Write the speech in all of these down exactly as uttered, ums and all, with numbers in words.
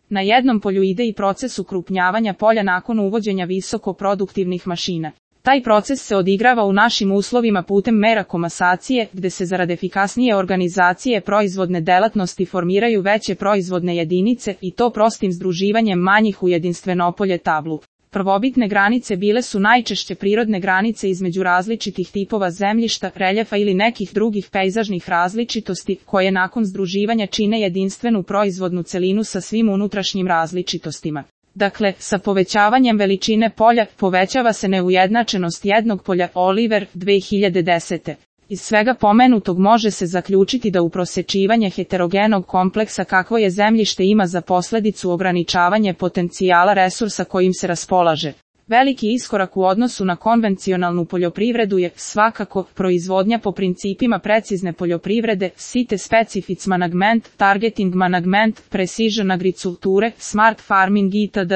Na jednom polju ide i proces ukrupnjavanja polja nakon uvođenja visokoproduktivnih mašina. Taj proces se odigrava u našim uslovima putem mera komasacije, gde se zarad efikasnije organizacije proizvodne delatnosti formiraju veće proizvodne jedinice i to prostim združivanjem manjih u jedinstveno polje tablu. Prvobitne granice bile su najčešće prirodne granice između različitih tipova zemljišta, reljefa ili nekih drugih pejzažnih različitosti, koje nakon združivanja čine jedinstvenu proizvodnu celinu sa svim unutrašnjim različitostima. Dakle, sa povećavanjem veličine polja, povećava se neujednačenost jednog polja. Oliver, dve hiljade desete. Iz svega pomenutog može se zaključiti da uprosečivanje heterogenog kompleksa kakvo je zemljište ima za posledicu ograničavanje potencijala resursa kojim se raspolaže. Veliki iskorak u odnosu na konvencionalnu poljoprivredu je, svakako, proizvodnja po principima precizne poljoprivrede, site specific management, targeting management, precision agriculture, smart farming itd.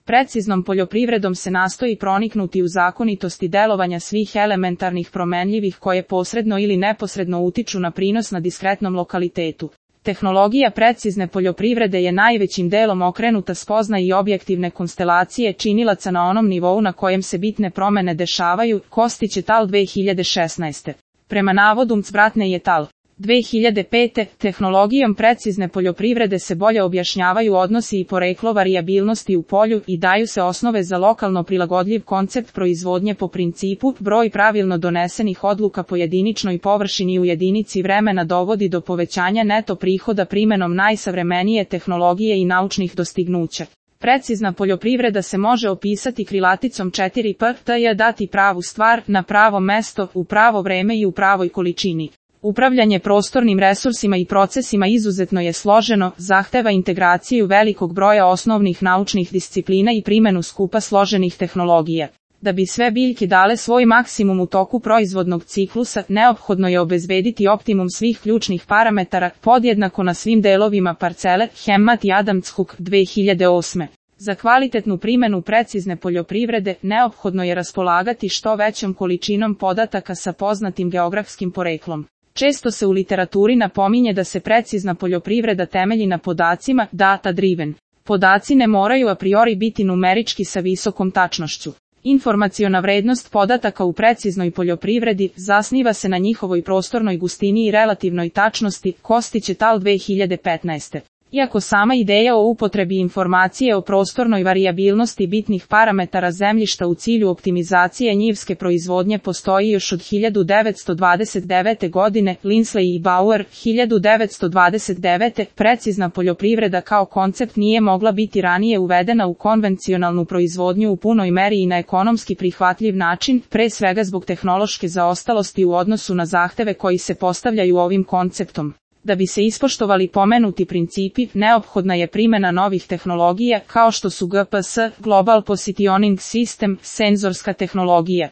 Preciznom poljoprivredom se nastoji proniknuti u zakonitosti delovanja svih elementarnih promenljivih koje posredno ili neposredno utiču na prinos na diskretnom lokalitetu. Tehnologija precizne poljoprivrede je najvećim delom okrenuta spoznaji i objektivne konstelacije činilaca na onom nivou na kojem se bitne promene dešavaju. Kostić et al. dve hiljade šesnaeste. Prema navodu Mcbratne et al. dve hiljade pete. Tehnologijom precizne poljoprivrede se bolje objašnjavaju odnosi i poreklo varijabilnosti u polju i daju se osnove za lokalno prilagodljiv koncept proizvodnje po principu broj pravilno donesenih odluka po jediničnoj površini u jedinici vremena dovodi do povećanja neto prihoda primenom najsavremenije tehnologije i naučnih dostignuća. Precizna poljoprivreda se može opisati krilaticom četiri P, T je dati pravu stvar, na pravo mesto, u pravo vreme i u pravoj količini. Upravljanje prostornim resursima i procesima izuzetno je složeno, zahteva integraciju velikog broja osnovnih naučnih disciplina i primenu skupa složenih tehnologija. Da bi sve biljke dale svoj maksimum u toku proizvodnog ciklusa, neophodno je obezbediti optimum svih ključnih parametara, podjednako na svim delovima parcele. Hemmat i Adams-Hook, dve hiljade osme. Za kvalitetnu primenu precizne poljoprivrede, neophodno je raspolagati što većom količinom podataka sa poznatim geografskim poreklom. Često se u literaturi napominje da se precizna poljoprivreda temelji na podacima, data driven. Podaci ne moraju a priori biti numerički sa visokom tačnošću. Informaciona vrednost podataka u preciznoj poljoprivredi zasniva se na njihovoj prostornoj gustini i relativnoj tačnosti. Kostić et al. dve hiljade petnaeste. Iako sama ideja o upotrebi informacije o prostornoj varijabilnosti bitnih parametara zemljišta u cilju optimizacije njivske proizvodnje postoji još od hiljadu devetsto dvadeset devete. godine, Linsley i Bauer, hiljadu devetsto dvadeset devete. Precizna poljoprivreda kao koncept nije mogla biti ranije uvedena u konvencionalnu proizvodnju u punoj meri i na ekonomski prihvatljiv način, pre svega zbog tehnološke zaostalosti u odnosu na zahteve koji se postavljaju ovim konceptom. Da bi se ispoštovali pomenuti principi, neophodna je primjena novih tehnologija, kao što su G P S, Global Positioning System, senzorska tehnologija.